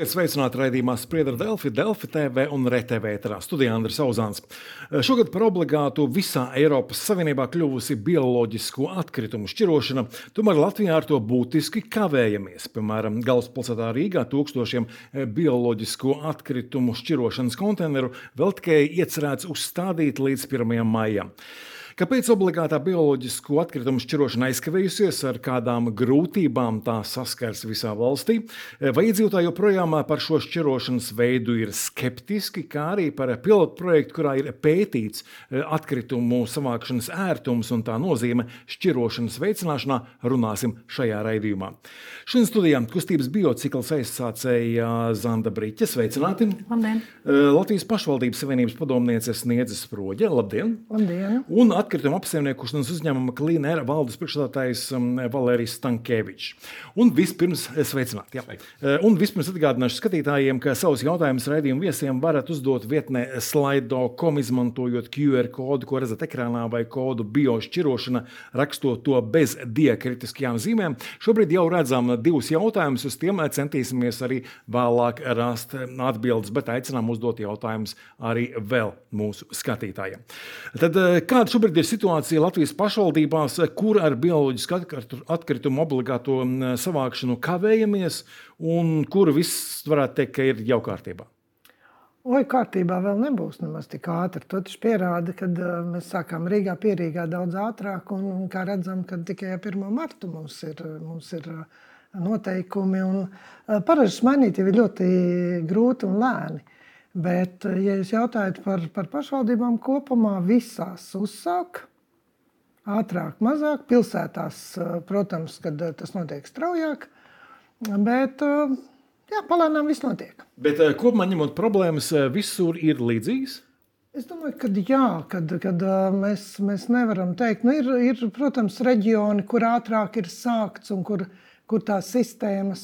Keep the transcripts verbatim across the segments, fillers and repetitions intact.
Esiet sveicināti raidījumā Spriedra Delfi, Delfi T V un R T V ēterā. Studijā Andris Auzāns. Šogad par obligātu visā Eiropas Savienībā kļuvusi bioloģisko atkritumu šķirošana, tomēr Latvijā ar to būtiski kavējamies. Piemēram, galvaspilsētā Rīgā tūkstošiem bioloģisko atkritumu šķirošanas konteineru vēl tikai iecerēts uzstādīt līdz pirmajam maijam. Kāpēc obligātā bioloģisko atkritumu šķirošana aizkavējusies, ar kādām grūtībām tā saskars visā valstī? Vai iedzīvotāji joprojām par šo šķirošanas veidu ir skeptiski, kā arī par pilotu projektu, kurā ir pētīts atkritumu savākšanas ērtums un tā nozīme šķirošanas veicināšanā, runāsim šajā raidījumā. Šodien studijā kustības biocikls aizsācēja Zanda Briķe. Sveicināti! Labdien! Latvijas pašvaldības savienības padomniece Sniedze Sproģe. Labdien! Labdien! Un atkrituma apsaimniekošanas uzņēmuma Clean Air valdes priekšsēdētājs Valērijas Stankevičs. Un vispirms sveicināti. Jā. Un vispirms atgādināšu skatītājiem, ka savus jautājumus raidījumu viesiem varat uzdot vietnē slido punkt com, izmantojot Q R kodu, ko redzat ekrānā, vai kodu biošķirošana, rakstot to bez diakritiskajām zīmēm. Šobrīd jau redzam divus jautājumus, uz tiem centīsimies arī vēlāk rast atbildes, bet aicinām uzdot jautājumus arī vēl mūsu skatītājiem. Tad kāda šobrīd ir situācija Latvijas pašvaldībās, kur ar bioloģisku atkritumu obligāto savākšanu kavējamies un kur viss varētu teikt, ka ir jau kārtībā? Oi, kārtībā vēl nebūs nemaz tik ātri. To taču pierāda, kad mēs sākām Rīgā pierīgā daudz ātrāk un, un kā redzam, kad tikai pirmā marta mums ir, mums ir noteikumi. Un paražas mainīt jau ir ļoti grūti un lēni. Bet, ja jūs jautājat par, par pašvaldībām kopumā, visās uzsāk, ātrāk, mazāk, pilsētās, protams, kad tas notiek straujāk, bet jā, palēnām viss notiek. Bet kopumā ņemot problēmas, visur ir līdzīgas? Es domāju, ka jā, kad, kad mēs, mēs nevaram teikt. Nu, ir, ir, protams, reģioni, kur ātrāk ir sākts un kur kur tās sistēmas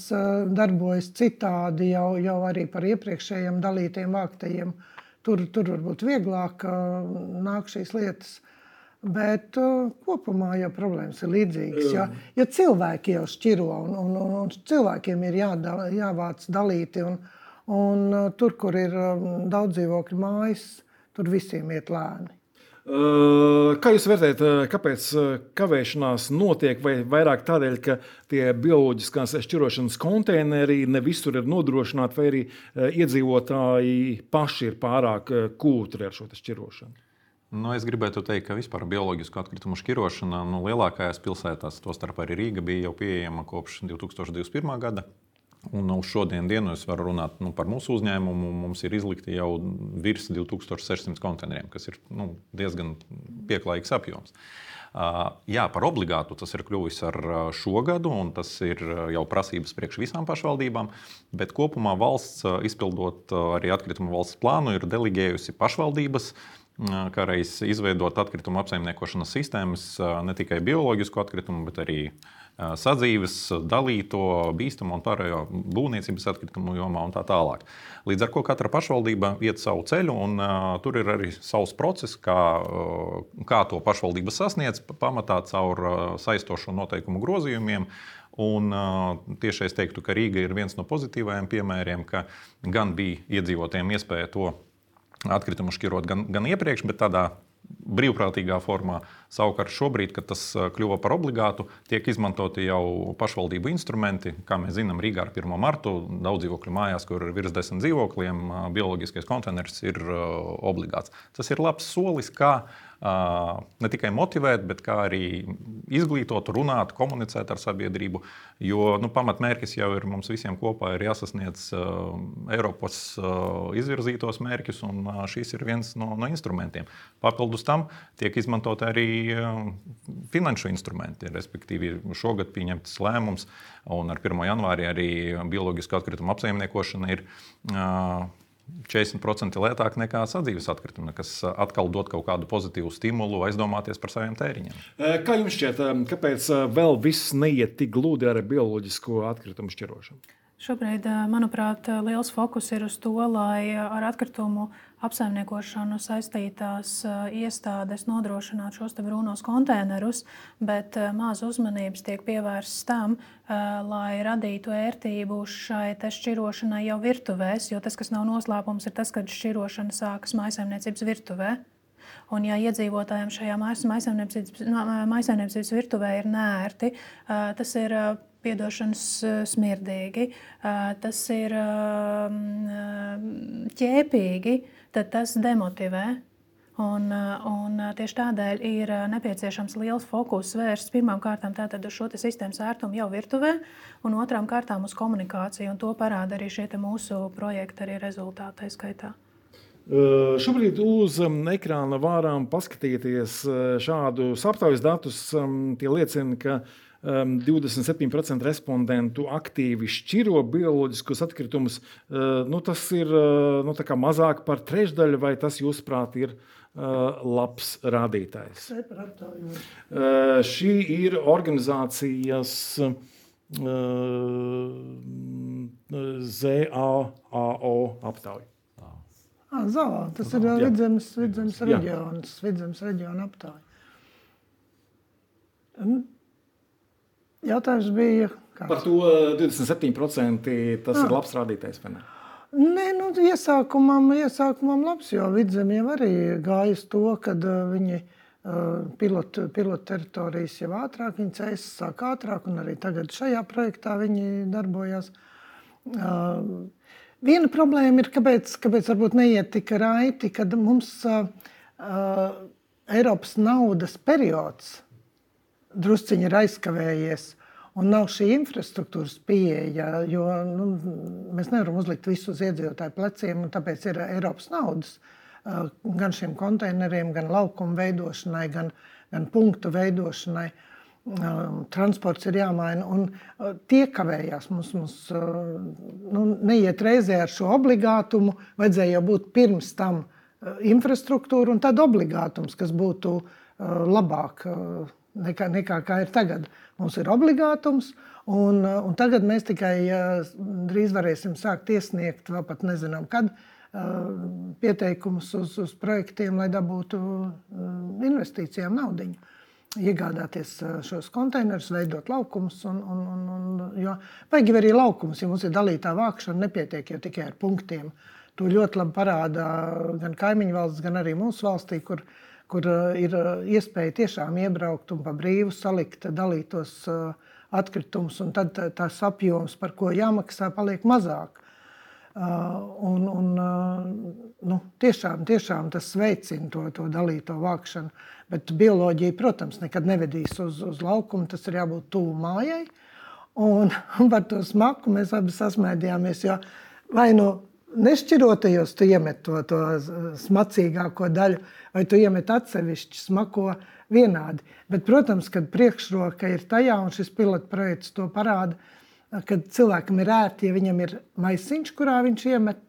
darbojas citādi jau, jau arī par iepriekšējiem dalītiem vāktajiem. Tur, tur varbūt vieglāk nāk šīs lietas. Bet kopumā jau problēmas ir līdzīgas. Ja, ja cilvēki jau šķiro un, un, un, un cilvēkiem ir jādala, jāvāc dalīti un, un tur, kur ir daudz dzīvokļu mājas, tur visiem iet lēni. Kā jūs vērtējat, kāpēc kavēšanās notiek, vai vairāk tādēļ, ka tie bioloģiskās šķirošanas konteineri ne visur ir nodrošināti, vai arī iedzīvotāji paši ir pārāk kūtri ar šo šķirošanu? Nu, es gribētu teikt, ka vispār bioloģisku atkritumu šķirošana nu, lielākajās pilsētās, tostarp arī Rīga, bija jau pieejama kopš divi tūkstoši divdesmit pirmā gada. Un uz šodien dienu es varu runāt nu, par mūsu uzņēmumu. Mums ir izlikti jau virs divi tūkstoši sešsimt konteineriem, kas ir nu, diezgan pieklājīgs apjoms. Uh, jā, par obligātu tas ir kļuvis ar šo gadu, un tas ir jau prasības priekš visām pašvaldībām. Bet kopumā valsts, izpildot arī atkritumu valsts plānu, ir delegējusi pašvaldības, kā reiz izveidot atkritumu apsaimniekošanas sistēmas, ne tikai bioloģisku atkritumu, bet arī sadzīves, dalīto, bīstamo un pārējo būvniecības atkritumu jomā un tā tālāk. Līdz ar ko katra pašvaldība iet savu ceļu, un uh, tur ir arī savs process, kā, uh, kā to pašvaldība sasniedz, pamatā caur uh, saistošo noteikumu grozījumiem. Un, uh, tieši es teiktu, ka Rīga ir viens no pozitīvajiem piemēriem, ka gan bija iedzīvotājiem iespēja to atkritumu šķirot gan, gan iepriekš, bet tādā brīvprātīgā formā. Savukārt šobrīd, kad tas kļuva par obligātu, tiek izmantoti jau pašvaldību instrumenti. Kā mēs zinām, Rīgā ar pirmo martu daudz dzīvokļu mājās, kur ir virs desmit dzīvokļiem, bioloģiskais konteiners ir obligāts. Tas ir labs solis, kā ne tikai motivēt, bet kā arī izglītot, runāt, komunicēt ar sabiedrību. Jo nu, pamatmērķis jau ir mums visiem kopā ir jāsasniedz uh, Eiropas uh, izvirzītos mērķus, un uh, šis ir viens no, no instrumentiem. Papildus tam tiek izmantot arī uh, finanšu instrumenti, respektīvi šogad pieņemts lēmums, un ar pirmo janvāri arī bioloģisku atkritumu apsaimniekošana ir uh, četrdesmit procenti lētāk nekā sadzīves atkritumi, kas atkal dod kaut kādu pozitīvu stimulu aizdomāties par saviem tēriņiem. Kā jums šķiet, kāpēc vēl viss neiet tik gludi ar bioloģisko atkritumu šķirošanu? Šobrīd, manuprāt, liels fokus ir uz to, lai ar atkritumu apsaimniekošanu saistītās iestādes nodrošinātu šos te brūnos konteinerus, bet maz uzmanības tiek pievērsts tam, lai radītu ērtību šai te šķirošanai jau virtuvēs, jo tas, kas nav noslēpums, ir tas, ka šķirošana sākas mājsaimniecības virtuvē. Un, ja iedzīvotājiem šajā mājsaimniecības virtuvē ir neērti, tas ir piedošanas smirdīgi, tas ir ķēpīgi, tad tas demotivē. Un, un tieši tādēļ ir nepieciešams liels fokus vērsts pirmām kārtām tātad uz šo te sistēmas ērtumu jau virtuvē un otrām kārtām uz komunikāciju. Un to parāda arī šie te mūsu projekti arī rezultātai skaitā. Uh, šobrīd uz um, ekrāna varam paskatīties uh, šādus aptaujas datus. Um, tie liecina, ka um, divdesmit septiņi procenti respondentu aktīvi šķiro bioloģiskos atkritumus. Uh, nu, tas ir uh, nu, tā kā mazāk par trešdaļu, vai tas, jūsuprāt, ir uh, labs rādītājs? Uh, šī ir organizācijas uh, Z A A O aptauja. Zalā, tas ir Vidzemes, Vidzemes reģions, Vidzemes reģiona aptāja. Jautājums bija kāds? Par to divdesmit septiņi procenti tas ah. ir labs rādītājs, vai ne? Nē, nu, iesākumam, iesākumam labs, jo Vidzeme jau arī gāja uz to, kad viņi pilotu, pilotu teritorijas jau ātrāk, viņi cēs sāk ātrāk, un arī tagad šajā projektā viņi darbojās. Viena problēma ir, kāpēc, kāpēc varbūt neiet tik raiti, kad mums uh, uh, Eiropas naudas periods drusciņi ir aizkavējies un nav šī infrastruktūras pieeja, jo nu, mēs nevaram uzlikt visu uz iedzīvotāju pleciem, un tāpēc ir Eiropas naudas uh, gan šiem konteineriem, gan laukumu veidošanai, gan, gan punktu veidošanai. Transports ir jāmaina, un tie kavējās. Mums, mums nu, neiet reizē ar šo obligātumu, vajadzēja jau būt pirms tam infrastruktūra un tad obligātums, kas būtu labāk nekā, nekā kā ir tagad. Mums ir obligātums, un, un tagad mēs tikai drīz varēsim sākt iesniegt, vēl pat nezinām kad, pieteikumus uz, uz projektiem, lai dabūtu investīcijām naudiņu. Iegādāties šos konteinerus, veidot laukumus. Un, un, un, un, jo vajag arī laukumus, ja mums ir dalītā vākšana, nepietiek jau tikai ar punktiem. To ļoti labi parāda gan kaimiņu valsts, gan arī mūsu valstī, kur, kur ir iespēja tiešām iebraukt un pa brīvu salikt dalītos atkritumus, un tad tās apjoms, par ko jāmaksā, paliek mazāk. Un, un, nu, tiešām, tiešām tas veicina to, to dalīto vākšanu. Bet bioloģija, protams, nekad nevedīs uz, uz laukumu, tas ir jābūt tuvu mājai. Un, un par to smaku mēs abi sasmēdījāmies, jo vai nu nešķirotajos tu iemet to, to smacīgāko daļu, vai tu iemet atsevišķi smako vienādi. Bet, protams, kad priekšroka ir tajā, un šis pilotprojekts to parāda, kad cilvēkam ir ērti, ja viņam ir maisiņš, kurā viņš iemet,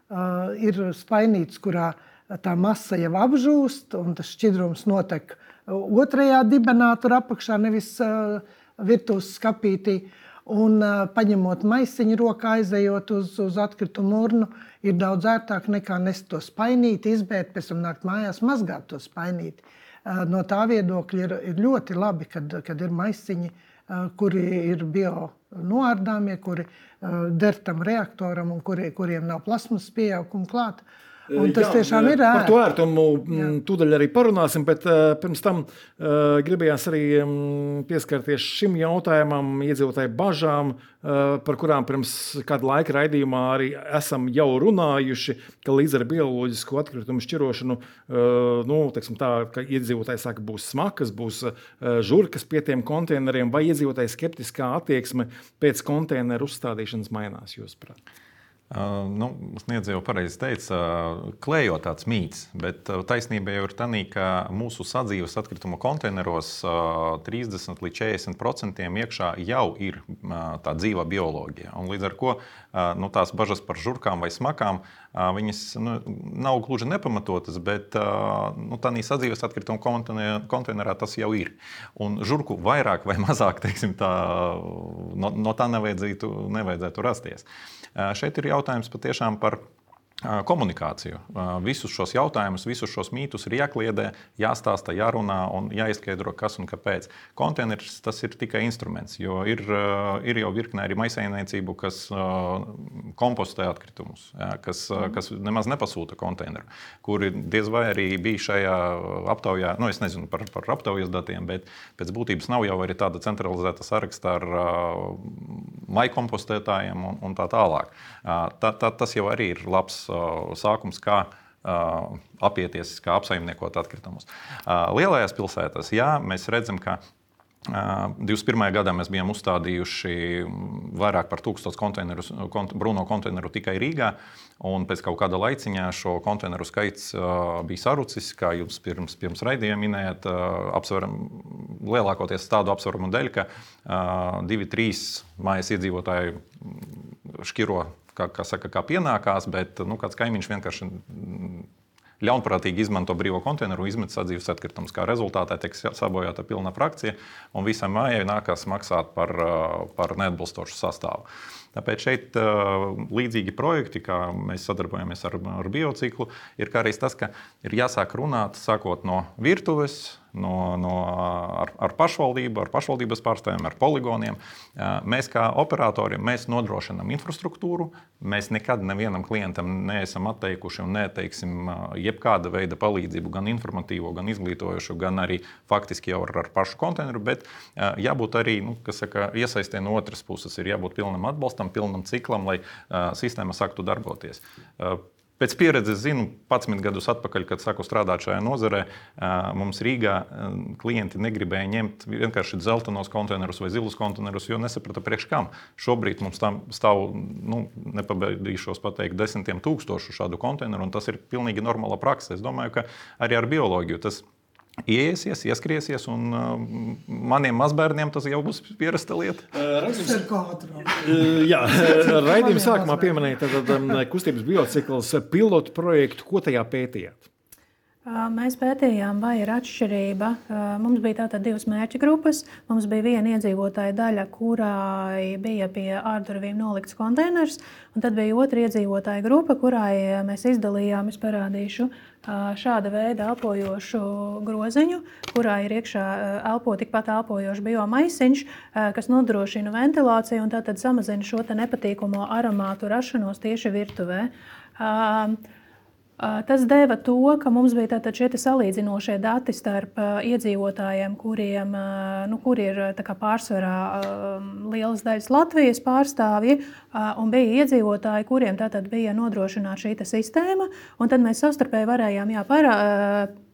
uh, ir spainīts, kurā tā masa jau apžūst, un tas šķidrums notek otrajā dibenā, tur apakšā, nevis uh, virtuves skapītī. Un uh, paņemot maisiņu rokā, aizejot uz, uz atkritumu urnu, ir daudz ērtāk nekā nest to spainīti, izbērt, pēc tam nākt mājās mazgāt to spainīti. Uh, no tā viedokļa ir, ir ļoti labi, kad, kad ir maisiņi, uh, kuri ir bio noārdāmie, kuri uh, der tam reaktoram un kuri, kuriem nav plasmas pieauguma klāt. Un tas jā, tiešām ir ērti. Par to ērtumu tūdaļ arī parunāsim, bet uh, pirms tam uh, gribējās arī um, pieskarties šim jautājumam, iedzīvotāju bažām, uh, par kurām pirms kāda laika raidījumā arī esam jau runājuši, ka līdz ar bioloģisko atkritumu šķirošanu, uh, nu, teiksim tā, ka iedzīvotāji saka, būs smakas, būs uh, žurkas pie tiem konteineriem, vai iedzīvotāju skeptiskā attieksme pēc konteineru uzstādīšanas mainās, jūsuprāt? Uh, nu, Sniedz jau pareizi teica, klejo tāds mīts, bet taisnība jau ir tā, ka mūsu sadzīves atkritumu konteineros uh, trīsdesmit līdz četrdesmit procentiem iekšā jau ir uh, tā dzīva bioloģija. Un līdz ar to uh, nu, tās bažas par žurkām vai smakām, uh, viņas nu, nav gluži nepamatotas, bet uh, nu, tā sadzīves atkritumu konteinerā tas jau ir. Un žurku vairāk vai mazāk, teiksim, tā, no, no tā nevajadzētu, nevajadzētu rasties. Šeit ir jautājums patiešām par komunikāciju. Visus šos jautājumus, visus šos mītus ir jākliedē, jāstāsta, jārunā un jāizskaidro, kas un kāpēc. Konteiners tas ir tikai instruments, jo ir, ir jau virknē arī maisaimniecību, kas kompostē atkritumus, kas, kas nemaz nepasūta konteineru, kuri diez vai arī bija šajā aptaujā, nu es nezinu par, par aptaujas datiem, bet pēc būtības nav jau arī tāda centralizēta saraksta ar maikompostētājiem un, un tā tālāk. Tā, tā, tas jau arī ir labs sākums, kā uh, apieties, kā apsaimniekot atkritumus. Uh, lielajās pilsētās, jā, mēs redzam, ka uh, divdesmit pirmajā gadā mēs bijām uzstādījuši vairāk par tūkstotis konteinerus, kont, brūno konteineru tikai Rīgā, un pēc kaut kāda laiciņā šo konteineru skaits uh, bija sarucis, kā jūs pirms, pirms raidījuma minējāt, uh, apsveram, lielākoties tādu apsvarumu dēļ, ka uh, divi, trīs mājas iedzīvotāji šķiro Kā, kā, saka, kā pienākās, bet nu, kāds kaimiņš vienkārši ļaunprātīgi izmanto brīvo konteineru un izmet sadzīves atkritumus. Kā rezultātā tiek sabojāta pilna frakcija, un visai mājai nākās maksāt par, par neatbilstošu sastāvu. Tāpēc šeit līdzīgi projekti, kā mēs sadarbojamies ar, ar biociklu, ir kā arī tas, ka ir jāsāk runāt sākot no virtuves, no, no, ar, ar pašvaldību, ar pašvaldības pārstāvjiem, ar poligoniem. Mēs kā operatori mēs nodrošinām infrastruktūru, mēs nekad nevienam klientam neesam atteikuši un neteiksim jebkāda veida palīdzību, gan informatīvo, gan izglītojošu, gan arī faktiski jau ar, ar pašu konteineru, bet jābūt arī, nu, kas saka, iesaistē no otras puses, ir jābūt pilnam atbalstam, pilnam ciklam, lai uh, sistēma sāktu darboties. Uh, Pēc pieredzes zinu, padsmit gadus atpakaļ, kad sāku strādāt šajā nozarē, mums Rīgā klienti negribēja ņemt vienkārši dzeltenos konteinerus vai zilus konteinerus, jo nesaprata priekš kam. Šobrīd mums tam stāv, nu, nepabeidīšos pateikt, desmitiem tūkstošu šādu konteineru, un tas ir pilnīgi normāla praksa. Es domāju, ka arī ar bioloģiju tas ieiesies, ieskriesies, un uh, maniem mazbērniem tas jau būs pierasta lieta. Tas ir kā ātrāk. Jā, raidījuma sākumā pieminēja tad, kustības biocikls pilotu projektu. Ko tajā pētījāt? Mēs pētījām, vai ir atšķirība. Mums bija tātad divas mērķa grupas. Mums bija viena iedzīvotāja daļa, kurai bija pie ārdurvīm nolikts konteiners, un tad bija otra iedzīvotāja grupa, kurai mēs izdalījām, es parādīšu, šāda veida elpojošu groziņu, kurā ir iekšā elpo tikpat elpojošs biomaisiņš, kas nodrošina ventilāciju un tātad samazina šo te nepatīkamo aromātu rašanos tieši virtuvē. Tas deva to, ka mums bija tātad šie salīdzinošie dati starp iedzīvotājiem, kuriem, nu, kuri ir tā kā pārsvarā lielas daļas Latvijas pārstāvji, un bija iedzīvotāji, kuriem tātad bija nodrošināta šī sistēma, un tad mēs savstarpēji varējām jā, parā,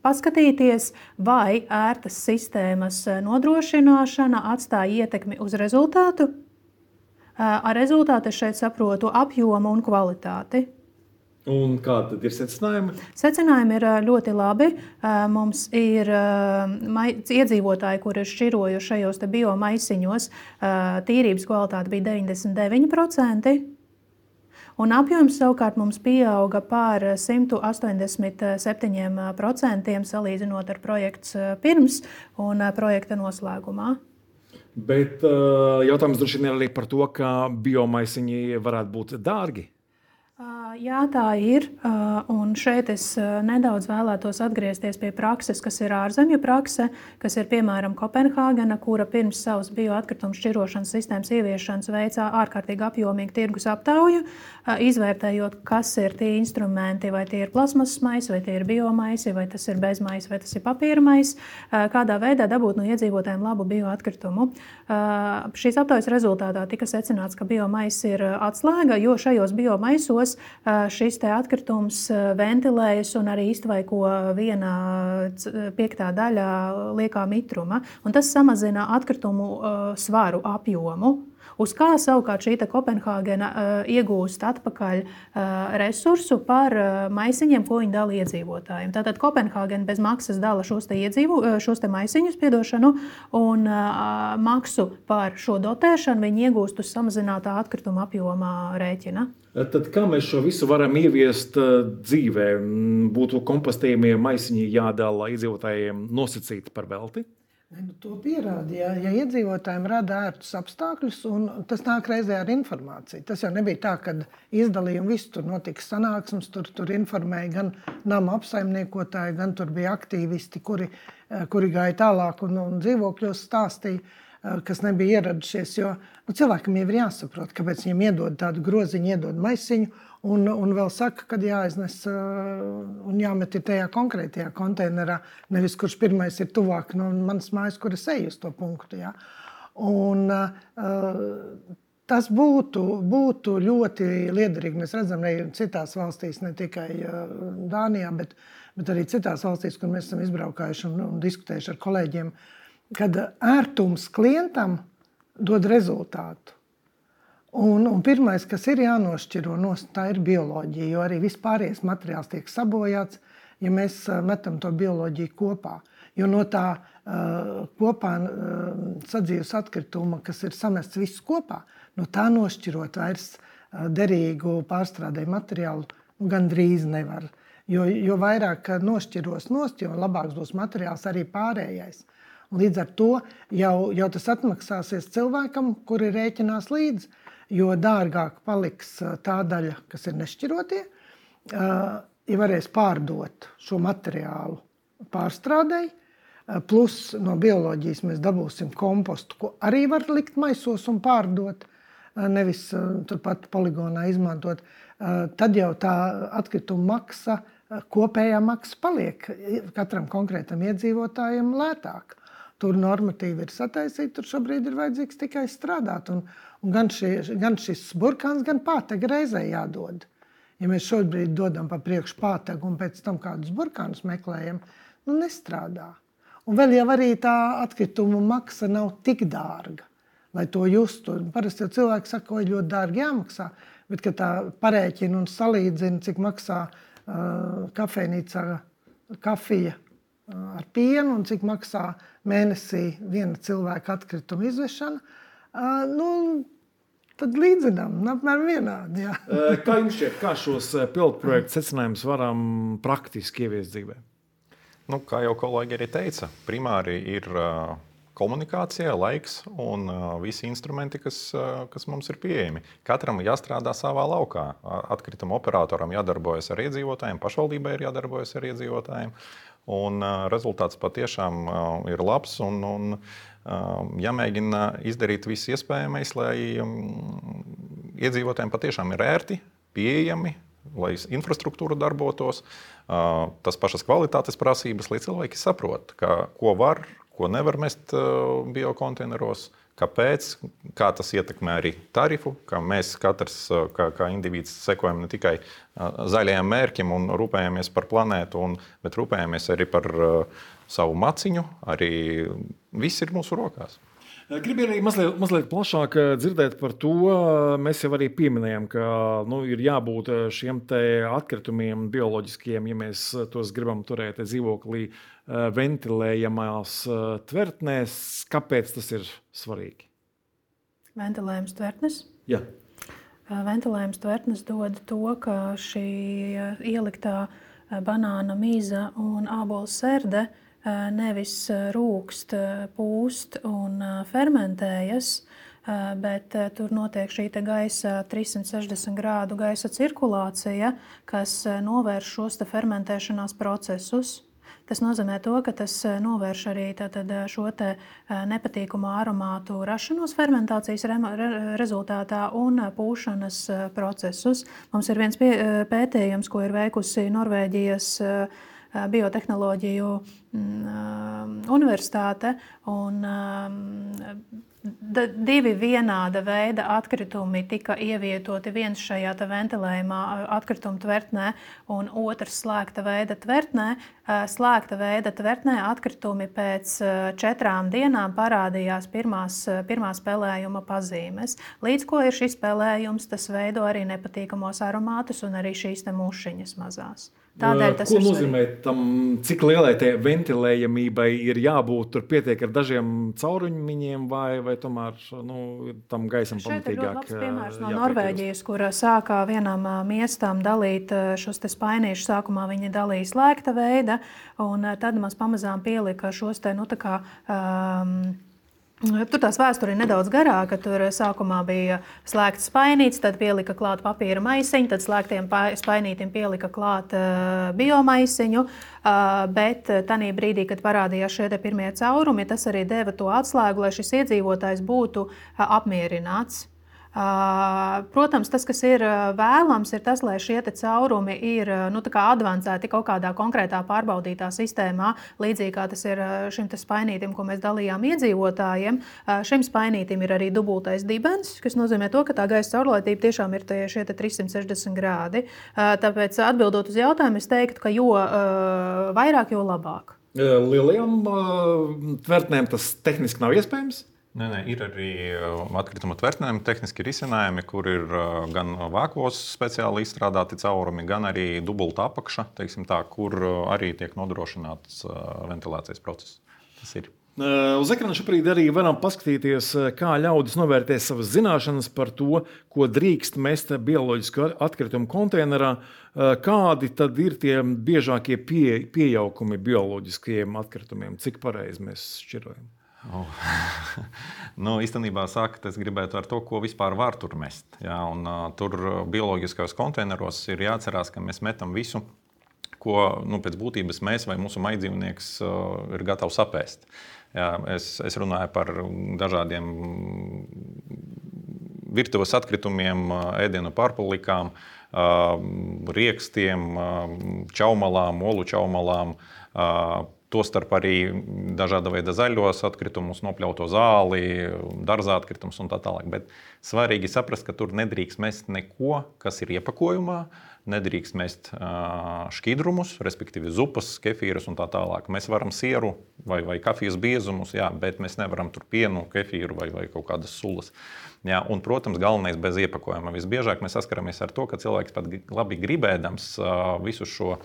paskatīties, vai ērtas sistēmas nodrošināšana atstāja ietekmi uz rezultātu. Ar rezultātu es šeit saprotu apjomu un kvalitāti. Un kādi tad ir secinājumi? Secinājumi ir ļoti labi. Mums ir iedzīvotāji, kuri ir šķirojuši šajos te biomaisiņos, tīrības kvalitāte bija deviņdesmit deviņi procenti. Un apjoms savukārt mums pieauga par simt astoņdesmit septiņi procenti salīdzinot ar projekts pirms un projekta noslēgumā. Bet jautājums droši vien ir arī par to, ka biomaisiņi varētu būt dārgi. Jā, tā ir. Un šeit es nedaudz vēlētos atgriezties pie prakses, kas ir ārzemju prakse, kas ir piemēram Kopenhāgena, kura pirms savas bioatkritumu šķirošanas sistēmas ieviešanas veicā ārkārtīgi apjomīgu tirgus aptauju, izvērtējot, kas ir tie instrumenti, vai tie ir plasmasas maisi, vai tie ir biomaisi, vai tas ir bezmaisi, vai tas ir papīra maisi, kādā veidā dabūt no iedzīvotājiem labu bioatkritumu. Šīs aptaujas rezultātā tika secināts, ka biomais ir atslēga, jo šajos biomaisos šis te atkritums ventilējas un arī iztvaiko viena piektā daļa liekā mitruma. Un tas samazina atkritumu svaru apjomu. Uz kā savukārt šī Kopenhāgena iegūst atpakaļ resursu par maisiņiem, ko viņi dala iedzīvotājiem. Tātad Kopenhāgena bez maksas dala šos te, iedzīvo, šos te maisiņus, piedošanu, un maksu par šo dotēšanu viņi iegūst uz samazinātā atkrituma apjomā rēķina. Tad kā mēs šo visu varam ieviest dzīvē? Būtu kompostējumie maisiņi jādala iedzīvotājiem nosacīti par velti? Nu, to pierāda, ja, ja iedzīvotājiem rada ērtus apstākļus, un tas nāk reizē ar informāciju. Tas jau nebija tā, ka izdalīja un viss tur notika sanāksmes, tur, tur informēja gan nama apsaimniekotāji, gan tur bija aktīvisti, kuri, kuri gāja tālāk un, un dzīvokļos stāstīja, kas nebija ieradušies, jo nu, cilvēkam jau ir jāsaprot, kāpēc viņam iedod tādu groziņu, iedod maisiņu, un, un vēl saka, kad jāiznes un jāmet ir tajā konkrētajā konteinerā, nevis kurš pirmais ir tuvāk no manas mājas, kur es eju uz to punktu. Jā. Un uh, tas būtu, būtu ļoti liederīgi. Mēs redzam, ne citās valstīs, ne tikai Dānijā, bet, bet arī citās valstīs, kur mēs esam izbraukājuši un, un diskutējuši ar kolēģiem, kad ērtums klientam dod rezultātu. Un, un pirmais, kas ir jānošķiro, tā ir bioloģija, jo arī vispārējais materiāls tiek sabojāts, ja mēs metam to bioloģiju kopā. Jo no tā uh, kopā uh, sadzīves atkrituma, kas ir samests viss kopā, no tā nošķirot vairs uh, derīgu pārstrādēju materiālu gandrīz nevar. Jo, jo vairāk nošķiros nost, jo labāks būs materiāls arī pārējais. Un līdz ar to jau, jau tas atmaksāsies cilvēkam, kuri rēķinās līdz, jo dārgāk paliks tā daļa, kas ir nešķirotie, ja varēs pārdot šo materiālu pārstrādei, plus no bioloģijas mēs dabūsim kompostu, ko arī var likt maisos un pārdot, nevis turpat poligonā izmantot, tad jau tā atkrituma maksa, kopējā maksa paliek katram konkrētam iedzīvotājam lētāk. Tur normatīvi ir sataisīti, tur šobrīd ir vajadzīgs tikai strādāt. Un, un gan, šie, gan šis burkāns, gan pātega reizē jādod. Ja mēs šobrīd dodam pa priekšu pātegu un pēc tam kādus burkānus meklējam, nu nestrādā. Un vēl jau arī tā atkrituma maksa nav tik dārga, lai to justu. Parasti jau cilvēki saka, ka ļoti dārgi jāmaksā, bet kad tā parēķina un salīdzina, cik maksā uh, kafejnīcā kafija ar pienu un cik maksā mēnesī viena cilvēka atkrituma izvešana, nu, tad līdzinām, apmēram vienādi. Jā. Kā jums šķiet, kā šos pilotprojektu secinājumus varam praktiski ieviest dzīvē? Nu, kā jau kolēģi arī teica, primāri ir komunikācija, laiks un visi instrumenti, kas, kas mums ir pieejami. Katram jāstrādā savā laukā. Atkrituma operatoram jādarbojas ar iedzīvotājiem, pašvaldībai ir jādarbojas ar iedzīvotājiem. Un uh, rezultāts patiešām uh, ir labs un, un uh, jāmēģina izdarīt viss iespējamais, lai um, iedzīvotājiem patiešām ir ērti, pieejami, lai infrastruktūra darbotos, uh, tas pašas kvalitātes prasības, lai cilvēki saprot, ka, ko var, ko nevar mest uh, biokonteineros, kāpēc, kā tas ietekmē arī tarifu, ka mēs katrs kā, kā indivīds sekojam ne tikai zaļajam mērķim un rūpējamies par planētu, un, bet rūpējamies arī par uh, savu maciņu, arī viss ir mūsu rokās. Gribu arī mazliet, mazliet plašāk dzirdēt par to. Mēs jau arī pieminējām, ka nu, ir jābūt šiem te atkritumiem bioloģiskiem, ja mēs tos gribam turēt dzīvoklī ventilējamās tvertnēs. Kāpēc tas ir svarīgi? Ventilējums tvertnes? Jā. Ventilējums tvertnes dod to, ka šī ieliktā banāna mīza un ābola serde nevis rūkst, pūst un fermentējas, bet tur notiek šī te gaisa trīssimt sešdesmit grādu gaisa cirkulācija, kas novērš šos te fermentēšanās procesus. Tas nozīmē to, ka tas novērš arī tātad šo te nepatīkamu aromātu rašanos fermentācijas re- rezultātā un pūšanas procesus. Mums ir viens pie, pētījums, ko ir veikusi Norvēģijas biotehnoloģiju universitāte, un D divi vienāda veida atkritumi tika ievietoti, viens šajā ventilējumā atkrituma tvertnē un otrs slēgta veida tvertnē. Slēgta veida tvertnē atkritumi pēc četrām dienām parādījās pirmās, pirmās pelējuma pazīmes. Līdz ko ir šis pelējums, tas veido arī nepatīkamos aromātus un arī šīs te mušiņas mazās. Tādēļ tas Ko ir nozīmē tam, cik lielai tai ventilējamībai ir jābūt? Tur pietiek ar dažiem caurumiņiem vai, vai tomēr nu, tam gaisam pamatīgāk? Šeit ir ļoti labs piemērs no Norvēģijas, kur sākā vienam miestam dalīt šos te spainīšus. Sākumā viņi dalīja slēgta veida, un tad mums pamazām pielika šos te, nu tā kā... Um, Tur tās vēsture ir nedaudz garāka. Tur sākumā bija slēgts spainīts, tad pielika klāt papīra maisiņu, tad slēgtiem spainītim pielika klāt uh, biomaisiņu. Uh, bet tanī brīdī, kad parādījās šie pirmie caurumi, tas arī deva to atslēgu, lai šis iedzīvotājs būtu uh, apmierināts. Uh, protams, tas, kas ir vēlams, ir tas, lai šie caurumi ir nu, advancēti kaut kādā konkrētā pārbaudītā sistēmā, līdzīgi kā tas ir šim spainītim, ko mēs dalījām iedzīvotājiem. Uh, šim spainītim ir arī dubultais dibens, kas nozīmē to, ka tā gaisa caurlaitība tiešām ir tie, šie trīssimt sešdesmit grādi. Uh, tāpēc, atbildot uz jautājumu, es teiktu, ka jo uh, vairāk, jo labāk. Lielajām uh, tvertnēm tas tehniski nav iespējams? Nē, nē, ir arī atkrituma tvertnēm tehniski risinājumi, kur ir gan vākos speciāli izstrādāti caurumi, gan arī dubulta apakša, teiksim tā, kur arī tiek nodrošināts ventilācijas process. Tas ir. Uz ekrāna šobrīd arī varam paskatīties, kā ļaudis novērtē savas zināšanas par to, ko drīkst mest bioloģisku atkritumu konteinerā. Kādi tad ir tie biežākie pie, piejaukumi bioloģiskajiem atkritumiem? Cik pareizi mēs šķirojam? Oh. nu, īstenībā sākt es gribētu ar to, ko vispār var tur mest. Jā, un, uh, tur bioloģiskajos konteineros ir jāatcerās, ka mēs metam visu, ko nu, pēc būtības mēs vai mūsu maidzīvnieks uh, ir gatavs apēst. Jā, es, es runāju par dažādiem virtuves atkritumiem, ēdienu pārpalikām, uh, riekstiem, uh, čaumalām, olu čaumalām, uh, tostarp arī dažāda veida zaļos atkritumus, nopļauto zāli, dārzā atkritumus un tā tālāk. Bet svarīgi saprast, ka tur nedrīkst mest neko, kas ir iepakojumā, nedrīkst mest uh, šķidrumus, respektīvi zupas, kefīrus un tā tālāk. Mēs varam sieru vai, vai kafijas biezumus, jā, bet mēs nevaram tur pienu, kefīru vai, vai kaut kādas sulas. Jā, un, protams, galvenais bez iepakojuma. Visbiežāk mēs saskaramies ar to, ka cilvēks pat labi gribēdams uh, visu šo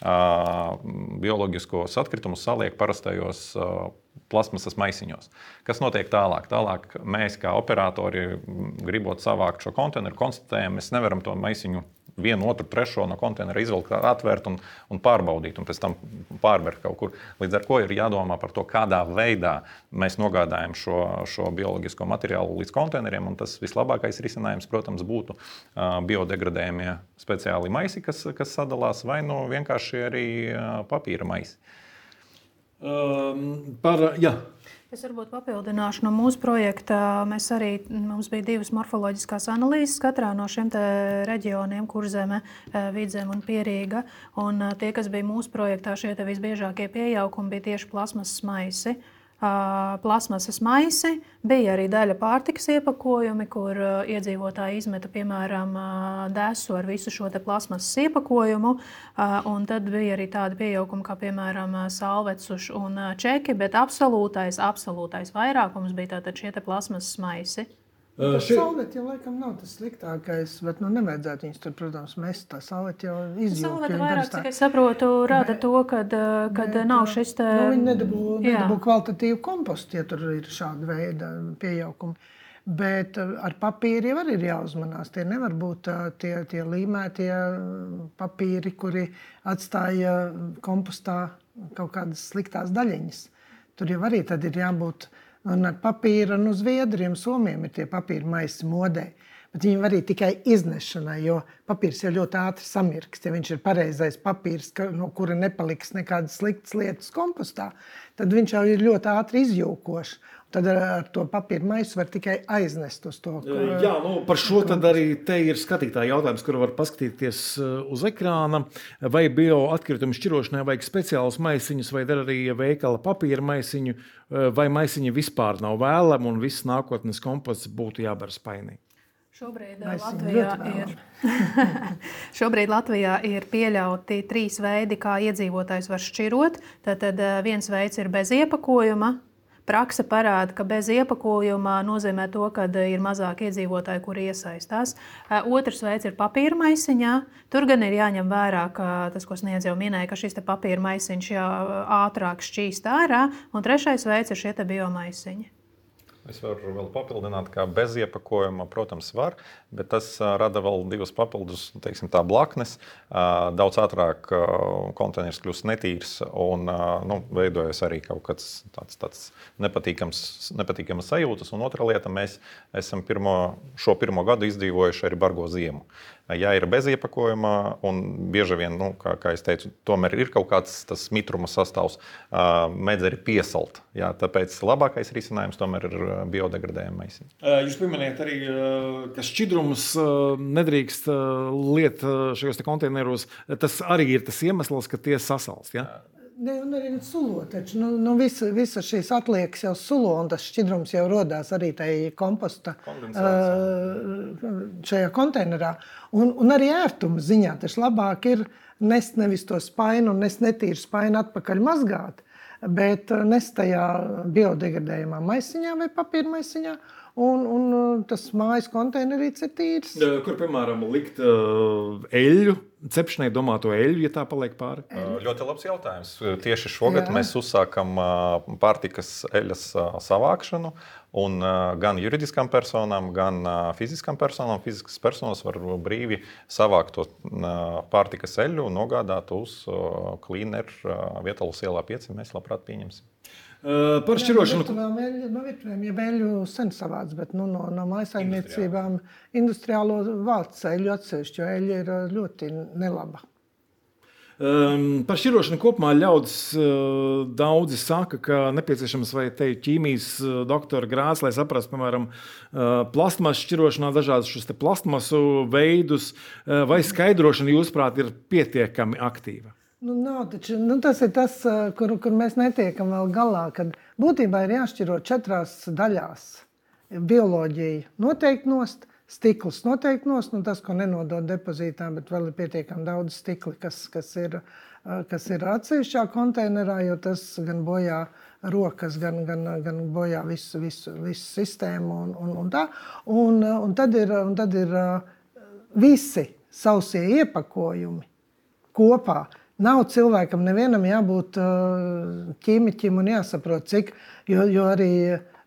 Uh, bioloģiskos atkritumus saliek parastajos uh, plasmasas maisiņos. Kas notiek tālāk? Tālāk mēs, kā operatori, gribot savākt šo konteineru, konstatējam, mēs nevaram to maisiņu vienu, otru, trešo no konteinera izvilkt, atvērt un, un pārbaudīt, un pēc tam pārvert kaut kur. Līdz ar ko ir jādomā par to, kādā veidā mēs nogādājam šo, šo bioloģisko materiālu līdz konteineriem, un tas vislabākais risinājums, protams, būtu uh, biodegradējumie speciāli maisi, kas, kas sadalās, vai nu vienkārši arī uh, papīra maisi. Um, par, jā. Es varbūt papildināšu no mūsu projekta. Mēs arī, mums bija divas morfoloģiskās analīzes katrā no šiem te reģioniem, Kurzeme, Vidzeme un Pierīga. Un tie, kas bija mūsu projektā, šie te visbiežākie piejaukumi bija tieši plasmasas maisi. Plasmasas maisi, bija arī daļa pārtikas iepakojumi, kur iedzīvotāji izmeta, piemēram, desu ar visu šo te plasmasas iepakojumu, un tad bija arī tādi piejaukumi, kā, piemēram, salvecuši un čeki, bet absolūtais, absolūtais vairākums bija tātad šie te plasmasas maisi. Tā salveti jau laikam nav tas sliktākais, bet nu nevajadzētu viņus tur, protams, mest. Tā salveti jau izjūt. Salveti vairāk, cik es saprotu, rāda to, kad, kad bet, nav šis te... Nu, viņi nedabū, nedabū kvalitatīvu kompostu, ja tur ir šāda veida piejaukumi. Bet ar papīri jau arī ir jāuzmanās. Tie nevar būt tie, tie līmētie papīri, kuri atstāja kompostā kaut kādas sliktās daļiņas. Tur jau arī tad ir jābūt... Un ar papīra, nu, Zviedriem, Somiem ir tie papīra maisi modē. bet viņi var arī tikai iznešanai, jo papīrs jau ļoti ātri samirkst. Ja viņš ir pareizais papīrs, ka, no kura nepaliks nekādas sliktas lietas kompostā, tad viņš jau ir ļoti ātri izjūkošs. Tad ar to papīra maisu var tikai aiznest uz to. Jā, nu, par šo tad arī te ir skatītāja jautājums, kuru var paskatīties uz ekrāna. Vai bioatkritumu šķirošanai vajag speciālus maisiņus, vai dar arī veikala papīra maisiņu, vai maisiņi vispār nav vēlami un viss nākotnes komposts būtu jābar spainī? Šobrīd Latvijā, ir, šobrīd Latvijā ir pieļauti trīs veidi, kā iedzīvotājs var šķirot. Tātad viens veids ir bez iepakojuma. Praksa parāda, ka bez iepakojuma nozīmē to, ka ir mazāk iedzīvotāji, kuri iesaistās. Otrs veids ir papīra maisiņā. Tur gan ir jāņem vērā, ka tas, ko Sniedze jau minēja, ka šis te papīra maisiņš jā, ātrāk šķīst ārā. Un trešais veids ir šie te biomaisiņi. Es varu vēl papildināt, ka bez iepakojuma, protams, var, bet tas rada vēl divas papildus, teiksim, tā blaknes. Daudz ātrāk konteiners kļūst netīrs un nu, veidojas arī kaut kāds tāds, tāds nepatīkams, nepatīkams sajūtas. Un otra lieta, mēs esam pirmo, šo pirmo gadu izdzīvojuši arī bargo ziemu. Ja ir bez iepakojuma, un bieži vien, nu, kā, kā es teicu, tomēr ir kaut kāds tas mitruma sastāvs, mēdz arī piesalt. Jā, tāpēc labākais risinājums tomēr ir biodegradējuma maisiņi. Jūs pieminējat arī, ka šķidrumus nedrīkst liet šajos te konteineros. Tas arī ir tas iemesls, ka tie sasalst, ja? Ne, un arī sulo, taču nu, nu visa, visa šīs atliekas jau sulo, un tas šķidrums jau rodās arī tai komposta uh, šajā konteinerā. Un, un arī ērtuma ziņā taču labāk ir nest nevis to spainu un nest netīru spainu atpakaļ mazgāt, bet nest tajā biodegradējumā maisiņā vai papīra maisiņā, un, un tas mājas konteinerīts ir tīrs. Kur, piemēram, likt uh, eļļu? Cepšanai domāto eļļu, ja tā paliek pāri? Ļoti labs jautājums. Tieši šogad Jā. mēs uzsākam pārtikas eļas savākšanu, un gan juridiskām personām, gan fiziskām personām. Fiziskas personas var brīvi savākt to pārtikas eļļu un nogādāt uz Cleaner Vietalus ielā pieci. Mēs labprāt pieņemsim. Uh, par šķirošanu. Jā, no virtuvēm, ja eļļu sen savāc, bet nu, no, no mājsaimniecībām industriālo vāc eļļu atsevišķi, jo eļļa ir ļoti nelaba. Um, par šķirošanu kopumā ļaudis uh, daudzi saka, ka nepieciešams vai te ķīmijas uh, doktora grāds, lai saprastu, piemēram, uh, plastmasu šķirošanā dažādus šos te plastmasu veidus, uh, vai skaidrošana, jūsuprāt, ir pietiekami aktīva? Nu, nav, taču, nu, tas ir tas, kur, kur mēs netiekam vēl galā, kad būtībā ir jāšķiro četrās daļās. Bioloģija noteikti nost, stikls noteikti nost, nu, tas, ko nenodod depozītā, bet vēl ir pietiekami daudz stikli, kas, kas, ir, kas ir atsevišķā konteinerā, jo tas gan bojā rokas, gan, gan, gan bojā visu, visu, visu sistēmu un, un, un tā. Un, un, tad ir, un tad ir visi sausie iepakojumi kopā. Nav cilvēkam nevienam jābūt ķīmiķim un jāsaprot, cik, jo, jo arī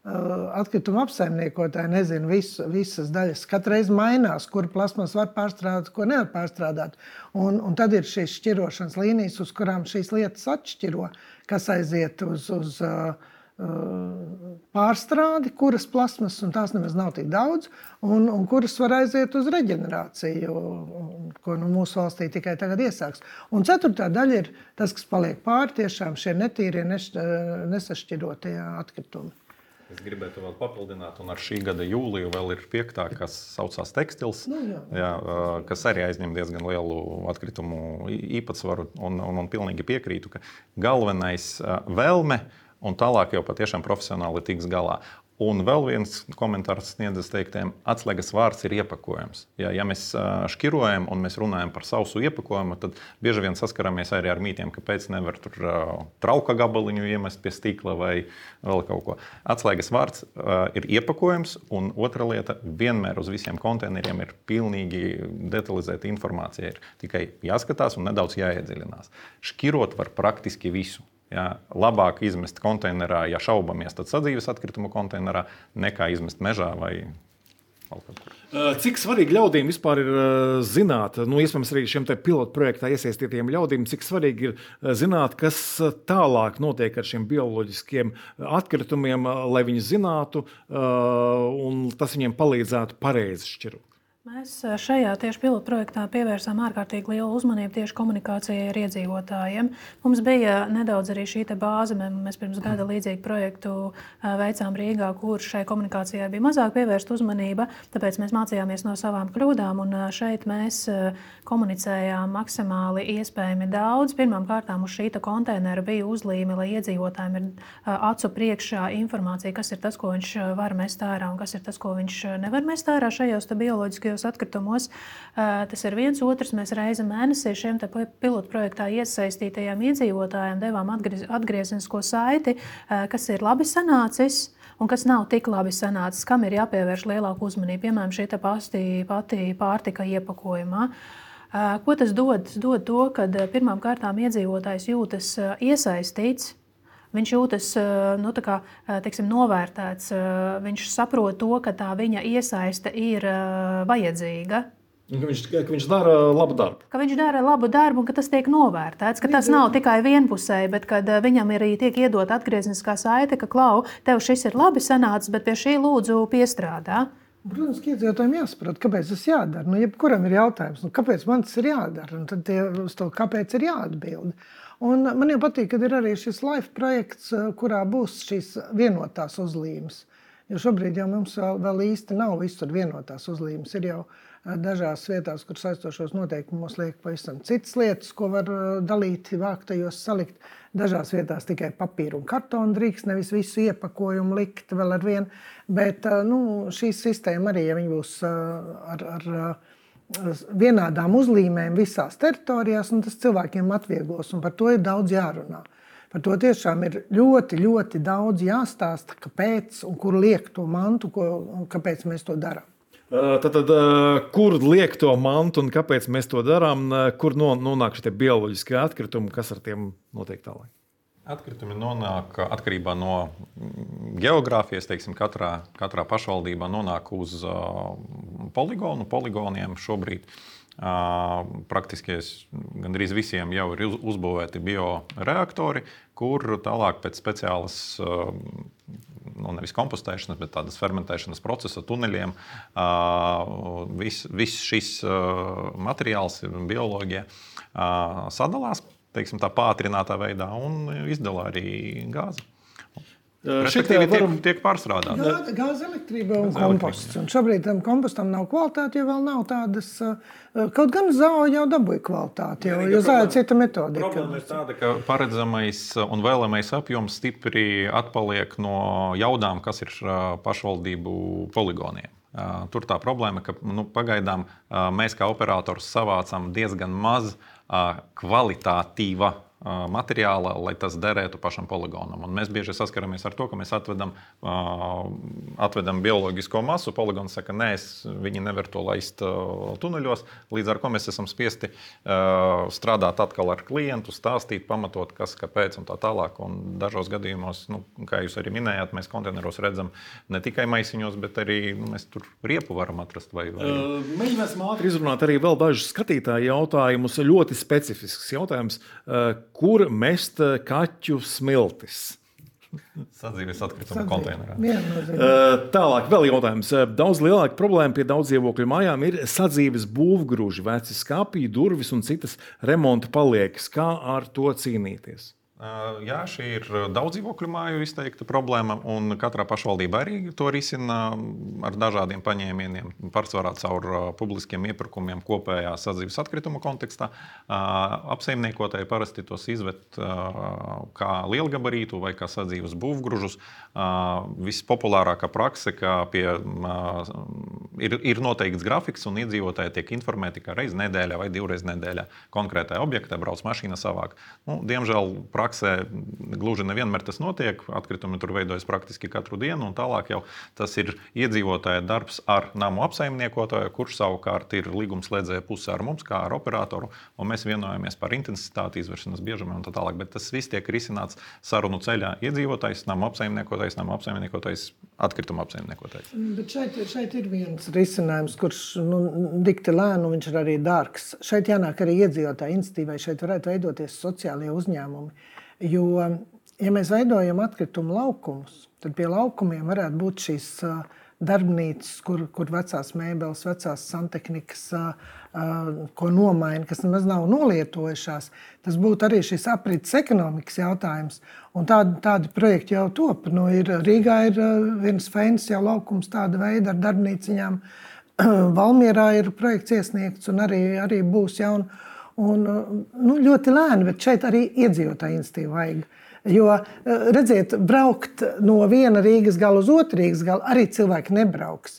atkrituma apsaimniekotāji nezina visu, visas daļas. Katreiz mainās, kur plasmas var pārstrādāt, ko nevar pārstrādāt. Un, un tad ir šīs šķirošanas līnijas, uz kurām šīs lietas atšķiro, kas aiziet uz, uz uh, pārstrādi, kuras plasmas, un tās nemaz nav tik daudz, un, un kuras var aiziet uz reģenerāciju, ko nu, mūsu valstī tikai tagad iesāks. Un ceturtā daļa ir tas, kas paliek pāri, tiešām šie netīrie, nesašķirotie atkritumi. Es gribētu vēl papildināt, un ar šī gada jūliju vēl ir piektā, kas saucās tekstils, nu, jā. Jā, kas arī aizņem diezgan lielu atkritumu īpatsvaru, un, un, un pilnīgi piekrītu, ka galvenais vēlme un tālāk jau patiešām profesionāli tiks galā. Un vēl viens komentārs Sniedzes teiktiem, atslēgas vārds ir iepakojums. Ja, ja mēs šķirojam un mēs runājam par sausu iepakojumu, tad bieži vien saskaramies arī ar mītiem, ka pēc nevar tur trauka gabaliņu iemest pie stikla vai vēl kaut ko. Atslēgas vārds ir iepakojums, un otra lieta, vienmēr uz visiem konteineriem ir pilnīgi detalizēta informācija. Ir tikai jāskatās un nedaudz jāiedziļinās. Šķirot var praktiski visu. Ja, labāk izmest konteinerā, ja šaubamies, tad sadzīves atkritumu konteinerā, nekā izmest mežā vai vēl kaut kur. Cik svarīgi ļaudīm vispār ir zināt, nu, iespējams arī šiem te pilotu projektā iesaistītiem ļaudīm, cik svarīgi ir zināt, kas tālāk notiek ar šiem bioloģiskiem atkritumiem, lai viņi zinātu un tas viņiem palīdzētu pareizi šķirot? Mēs šajā tieši pilotprojektā pievērsām ārkārtīgi lielu uzmanību tieši komunikācijai ar iedzīvotājiem. Mums bija nedaudz arī šī bāze. Mēs pirms gada līdzīgu projektu veicām Rīgā, kur šai komunikācijai bija mazāk pievērsta uzmanība. Tāpēc mēs mācījāmies no savām kļūdām, un šeit mēs komunicējām maksimāli iespējami daudz. Pirmām kārtām uz šī konteinera bija uzlīme, lai iedzīvotājiem ir acu priekšā informācija, kas ir tas, ko viņš var mest ārā un kas ir tas, ko viņš nevar mest ārā šajos bioloģiskajos atkritumos. Tas ir viens. Otrs, mēs reizi mēnesī šiem pilotu projektā iesaistītajiem iedzīvotājiem devām atgriez, atgriezenisko saiti, kas ir labi sanācis un kas nav tik labi sanācis, kam ir jāpievērš lielāku uzmanību. Piemēram, šī pati, pati pārtika iepakojumā. Ko tas dod? Tas dod to, ka pirmām kārtām iedzīvotājs jūtas iesaistīts. Viņš jūtas nu, kā, teiksim, novērtēts, viņš saprot to, ka tā viņa iesaiste ir vajadzīga. Ka viņš, ka viņš dara labu darbu. Ka viņš dara labu darbu un ka tas tiek novērtēts, ka tas nav tikai vienpusēji, bet kad viņam arī tiek iedot atgriezeniskā saite, ka klau, tev šis ir labi sanācis, bet pie šī lūdzu piestrādā. Protams, ka iedzīvotājiem jāsaprot, kāpēc tas jādara. Nu, jebkuram ir jautājums, nu, kāpēc man tas ir jādara, un tad tie, uz to kāpēc ir jāatbild. Un man jau patīk, ka ir arī šis LIFE projekts, kurā būs šīs vienotās uzlīmes. Jo šobrīd jau mums vēl, vēl īsti nav visur vienotās uzlīmes. Ir jau dažās vietās, kur saistošos noteikumos liek pavisam citas lietas, ko var dalīt, vāktajos salikt. Dažās vietās tikai papīru un kartonu drīkst, nevis visu iepakojumu likt vēl ar vienu. Bet nu, šī sistēma arī, ja viņi būs ar... ar vienādām uzlīmēm visās teritorijās, un tas cilvēkiem atvieglos, un par to ir daudz jārunā. Par to tiešām ir ļoti, ļoti daudz jāstāsta, kāpēc un kur liek to mantu, ko, un kāpēc mēs to darām. Tātad, kur liek to mantu un kāpēc mēs to darām, kur nonāk šie bioloģiskie atkritumi, kas ar tiem notiek tālāk? Atkritumi nonāk atkarībā no geogrāfijas, teiksim, katrā, katrā pašvaldībā nonāk uz uh, poligonu. Poligoniem šobrīd uh, praktiski gandrīz visiem jau ir uz, uzbūvēti bioreaktori, kur tālāk pēc speciālas, uh, nu nevis kompostēšanas, bet tādas fermentēšanas procesa tuneļiem uh, viss vis šis uh, materiāls, bioloģija uh, sadalās, teiksim, tā pātrinātā veidā un izdala arī gāzi. Respektīvi varam... tiek, tiek pārstrādāt. Gāze, gāze elektrība un gāze komposts. Elektrība, un šobrīd tam kompostam nav kvalitāte, jo vēl nav tādas, kaut gan zāle jau dabūja kvalitāti, jo, jo zāle cita metodika. Problēma ir tāda, ka paredzamais un vēlamais apjoms stipri atpaliek no jaudām, kas ir pašvaldību poligoniem. Tur tā problēma, ka nu, pagaidām mēs kā operators savācam diezgan maz kvalitātīva materiāla, lai tas derētu pašam poligonam. Un mēs bieži saskaramies ar to, ka mēs atvedam, uh, atvedam bioloģisko masu, poligons saka, nē, es, viņi nevar to laist uh, tuneļos, līdz ar ko mēs esam spiesti uh, strādāt atkal ar klientu, stāstīt, pamatot, kas, kāpēc un tā tālāk. Un dažos gadījumos, nu, kā jūs arī minējāt, mēs konteineros redzam ne tikai maisiņos, bet arī nu, mēs tur riepu varam atrast. Vai, vai... Uh, Mēģināsim ātri izrunāt arī vēl dažus skatītāju jautājumus, ļoti specifisks jautājums. Uh, Kur mest kaķu smiltis? Sadzīves atkrituma konteinerā. Tālāk vēl jautājums. Daudz lielāka problēma pie daudz dzīvokļu mājām ir sadzīves būvgruži, veci skapji, durvis un citas remonta paliekas. Kā ar to cīnīties? Jā, šī ir daudz dzīvokļu māju izteikta problēma, un katrā pašvaldība arī to risina ar dažādiem paņēmieniem, pārsvarā caur publiskiem iepirkumiem kopējā sadzīves atkrituma kontekstā. Apsaimniekotāji parasti tos izved kā lielgabarītu vai kā sadzīves būvgružus. Vispopulārākā prakse, ka pie, ir, ir noteikts grafiks, un iedzīvotāji tiek informēti, ka reiz nedēļā vai divreiz nedēļā konkrētajā objektā brauc mašīna savāk. Nu, diemžēl praksē gluži nevienmēr tas notiek, atkritumi tur veidojas praktiski katru dienu, un tālāk jau tas ir iedzīvotāja darbs ar namu apsaimniekotāju, kurš savukārt ir līgumslēdzēja puse ar mums, kā ar operatoru, un mēs vienojamies par intensitāti, izvēršanas biežumu un tā tālāk, bet tas viss tiek risināts sarunu ceļā iedzīvotājs, namu apsaimniekotājs, namu apsaimniekotājs, atkrituma apsaimniekotājs. Bet šeit, šeit ir viens risinājums, kurš nu, dikti lēnu, viņš ir arī dārgs. Šeit jānāk arī iedzīvotāja institīvai, šeit varētu veidoties sociālie uzņēmumi. Jo, ja mēs veidojam atkritumu laukumus, tad pie laukumiem varētu būt šīs darbnīcas, kur, kur vecās mēbeles, vecās santehnikas, ko nomaina, kas nemaz nav nolietojušās. Tas būtu arī šis aprits ekonomikas jautājums. Un tādi, tādi projekti jau top. Nu, ir, Rīgā ir viens feins jau laukums tāda veida ar darbnīciņām. Valmierā ir projekts iesniegts un arī, arī būs jauna. Un, nu, ļoti lēni, bet šeit arī iedzīvotāju iniciatīvu vajag. Jo, redziet, braukt no viena Rīgas gala uz otru Rīgas galu arī cilvēki nebrauks.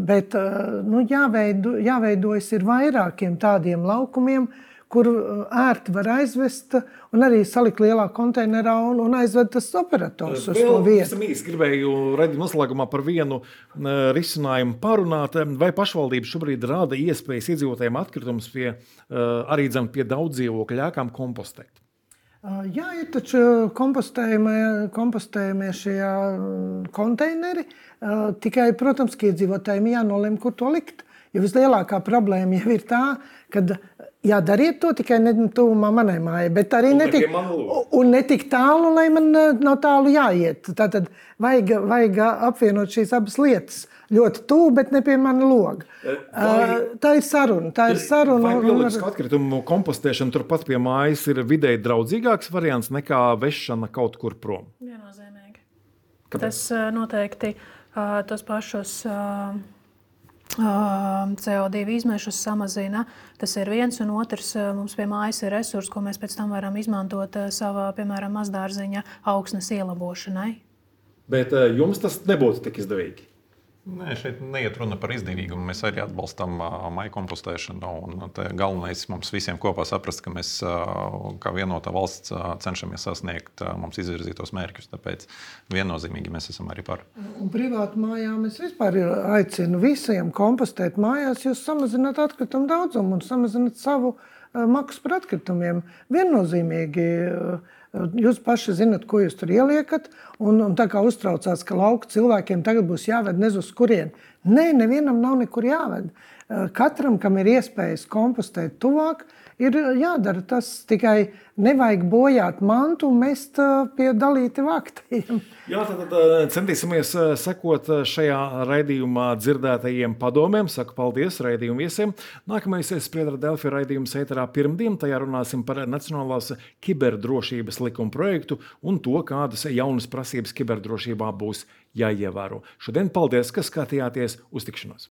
Bet nu, jāveido, jāveidojas ir vairākiem tādiem laukumiem, kur ērti var aizvest un arī salikt lielā konteinerā un, un aizved tas operators uz to vietu. Es īsti gribēju redzēt noslēgumā par vienu risinājumu parunāt. Vai pašvaldība šobrīd rada iespējas iedzīvotājiem atkritumus pie, arī dzem pie daudz dzīvokļu ēkām kompostēt? Jā, ir taču kompostējumie, kompostējumie šie konteineri. Tikai, protams, ka iedzīvotājiem jānolem, kur to likt. Jo vislielākā problēma jau ir tā, kad jā, dariet to tikai ne tuvumā manai mājai, bet arī netik, un netik tālu, lai man nav tālu jāiet. Tātad vajag, vajag apvienot šīs abas lietas. Ļoti tuvu, bet ne pie mana loga. Vai, tā ir saruna. Tā ir saruna. Vai bioloģisku atkritumu kompostēšana turpat pie mājas ir vidēji draudzīgāks variants nekā vešana kaut kur prom? Viennozīmīgi. Kāpēc? Tas noteikti uh, tos pašus uh, uh, C O divi izmešus samazina. Tas ir viens, un otrs uh, mums pie mājas ir resurs, ko mēs pēc tam varam izmantot uh, savā, piemēram, mazdārziņa augsnes ielabošanai. Bet uh, jums tas nebūtu tik izdevīgi? Nē, šeit neiet runa par izdevīgumu. Mēs arī atbalstam maiju kompostēšanu. Galvenais mums visiem kopā saprast, ka mēs kā vienotā valsts cenšamies sasniegt mums izvirzītos mērķus. Tāpēc viennozīmīgi mēs esam arī par. Un privātu mājām es vispār aicinu visiem kompostēt mājās, jūs samazināt atkritumu daudzumu un samazināt savu maksu par atkritumiem. Viennozīmīgi. Jūs paši zinat, ko jūs tur ieliekat, un, un tā kā uztraucās, ka lauku cilvēkiem tagad būs jāved nez uz kurien. Nē, nevienam nav nekur jāved. Katram, kam ir iespējas kompostēt tuvāk, ir jādara tas, tikai nevajag bojāt mantu un mest pie dalīti vaktiem. Jā, tad, tad centīsimies sekot šajā raidījumā dzirdētajiem padomiem. Saku paldies raidījumu viesiem. Nākamais Spriedra Delfi raidījums ēterā pirmdien. Tajā runāsim par Nacionālās kiberdrošības likuma projektu un to, kādas jaunas prasības kiberdrošībā būs jāievēro. Šodien paldies, ka skatījāties. Uz tikšanos!